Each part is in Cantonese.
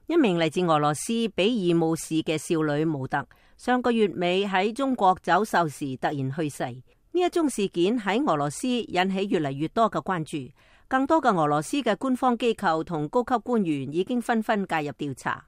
一名嚟自俄羅斯比爾姆市嘅少女模特，上個月尾喺中國走秀時突然去世。呢一宗事件喺俄羅斯引起越嚟越多嘅關注，更多嘅俄羅斯嘅官方機構同高級官員已經紛紛介入調查。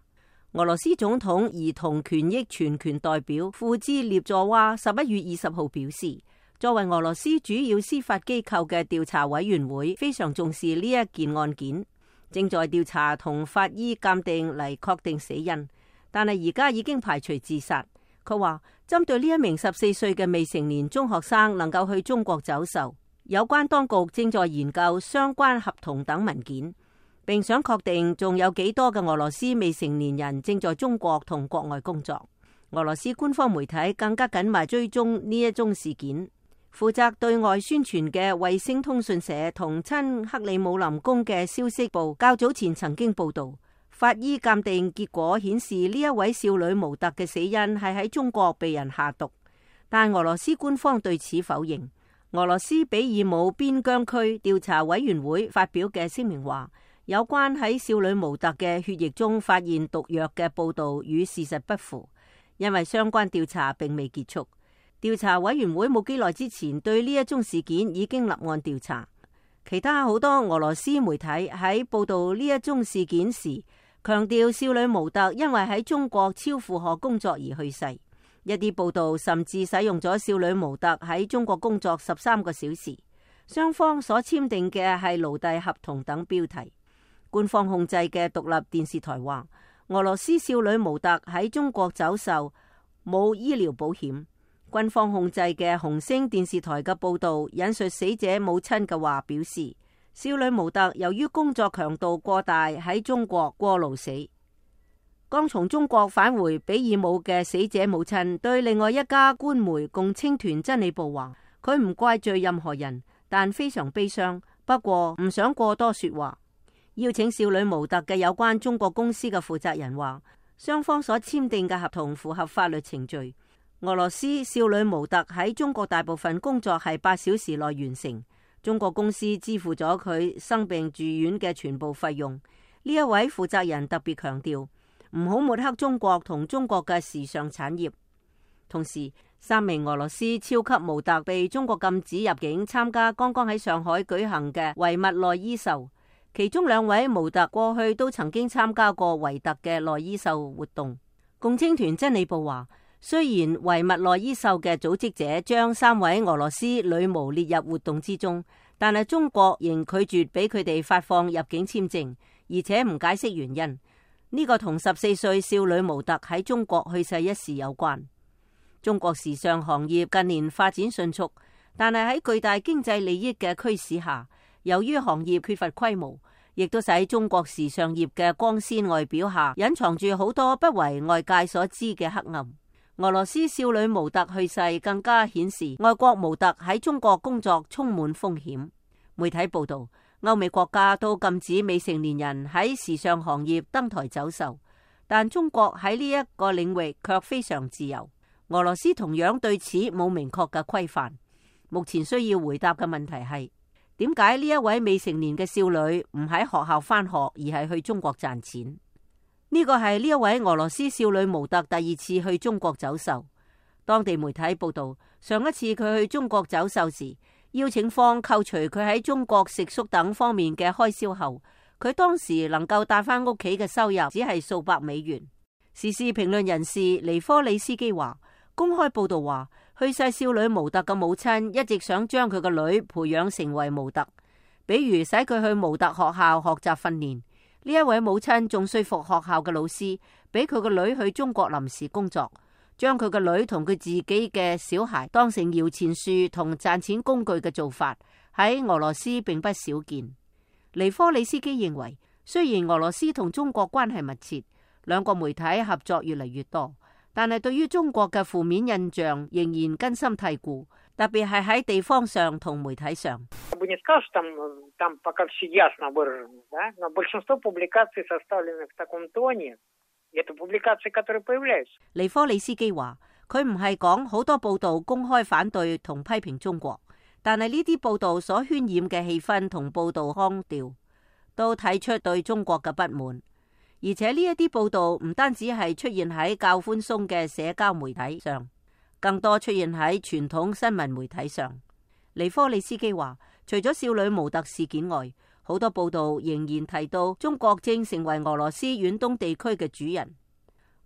俄羅斯總統兒童權益全權代表庫茲列佐娃11月20號表示，作為俄羅斯主要司法機構嘅調查委員會，非常重視呢一件案件，正在調查同法醫鑑定嚟確定死因，但係而家已經排除自殺。佢話針對呢一名14歲嘅未成年中學生能夠去中國走秀，有關當局正在研究相關合同等文件，並想確定仲有幾多嘅俄羅斯未成年人正在中國同國外工作。俄羅斯官方媒體更加緊密追蹤呢一宗事件。負責對外宣傳嘅衛星通訊社同親克里姆林宮嘅消息部較早前曾經報道，法醫鑑定結果顯示呢一位少女模特嘅死因係喺中國被人下毒，但俄羅斯官方對此否認。俄羅斯比爾姆邊疆區調查委員會發表嘅聲明話，有關喺少女模特嘅血液中發現毒藥嘅報道與事實不符，因為相關調查並未結束。調查委員會冇幾耐之前對呢一宗事件已經立案調查。其他好多俄羅斯媒體喺報道呢一宗事件時，強調少女模特因為喺中國超負荷工作而去世。一啲報道甚至使用咗少女模特喺中國工作13個小時，雙方所簽訂嘅係奴隸合同等標題。官方控制嘅獨立電視台話，俄羅斯少女模特喺中國走秀冇醫療保險。軍方控制嘅紅星電視台嘅報道引述死者母親嘅話表示，少女模特由於工作強度過大喺中國過勞死。剛從中國返回比爾姆嘅死者母親對另外一家官媒共青團真理報話，佢唔怪罪任何人，但非常悲傷，不過唔想過多說話。邀請少女模特嘅有關中國公司嘅負責人話，雙方所簽訂嘅合同符合法律程序。俄羅斯少女模特喺中國大部分工作係8小時內完成，中國公司支付咗佢生病住院嘅全部費用。呢一位負責人特別強調，唔好抹黑中國同中國嘅時尚產業。同時，3名俄羅斯超級模特被中國禁止入境參加剛剛喺上海舉行嘅維密內衣秀，其中2位模特過去都曾經參加過維特嘅內衣秀活動。共青團真理報話，雖然維密內衣秀嘅組織者將3位俄羅斯女模列入活動之中，但係中國仍拒絕俾佢哋發放入境簽證，而且唔解釋原因。呢個同14歲少女模特喺中國去世一事有關。中國時尚行業近年發展迅速，但係喺巨大經濟利益嘅驅使下，由於行業缺乏規模，亦都使中國時尚業嘅光鮮外表下隱藏住好多不為外界所知嘅黑暗。俄羅斯少女模特去世更加顯示外國模特喺中國工作充滿風險。媒體報道，歐美國家都禁止未成年人喺時尚行業登台走秀，但中國喺呢一個領域卻非常自由。俄羅斯同樣對此冇明確嘅規範。目前需要回答嘅問題係，點解呢一位未成年嘅少女唔喺學校返學，而係去中國賺錢？呢個係呢一位俄羅斯少女模特第2次去中國走秀。當地媒體報道，上一次佢去中國走秀時，邀請方扣除佢喺中國食宿等方面嘅開銷後，佢當時能夠帶返屋企嘅收入只係數百美元。時事評論人士尼科里斯基話，公開報道話，去世少女模特嘅母親一直想將佢個女培養成為模特，比如使佢去模特學校學習訓練。呢一位母親仲說服學校嘅老師，俾佢個女去中國臨時工作，將佢個女同佢自己嘅小孩當成搖錢樹同賺錢工具嘅做法，喺俄羅斯並不少見。尼科里斯基認為，雖然俄羅斯同中國關係密切，2個媒體合作越嚟越多，但係對於中國嘅負面印象仍然根深蒂固，特別係喺地方上同媒體上。尼科里斯基話，佢唔係講好多報道公開反對同批評中國，但係呢啲報道所渲染嘅氣氛同報道腔調，都睇出對中國嘅不滿。而且呢一啲報道唔單止係出現喺較寬鬆嘅社交媒體上，更多出現喺傳統新聞媒體上。尼科利斯基話，除咗少女模特事件外，好多報道仍然提到中國正成為俄羅斯遠東地區嘅主人。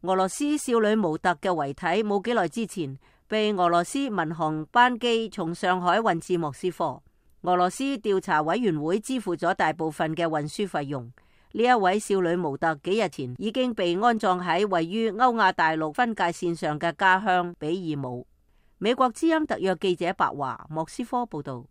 俄羅斯少女模特嘅遺體冇幾耐之前被俄羅斯民航班機從上海運至莫斯科，俄羅斯調查委員會支付咗大部分嘅運輸費用。呢一位少女模特幾日前已經被安葬喺位於歐亞大陸分界線上嘅家鄉比爾姆。美國之音特約記者白華莫斯科報道。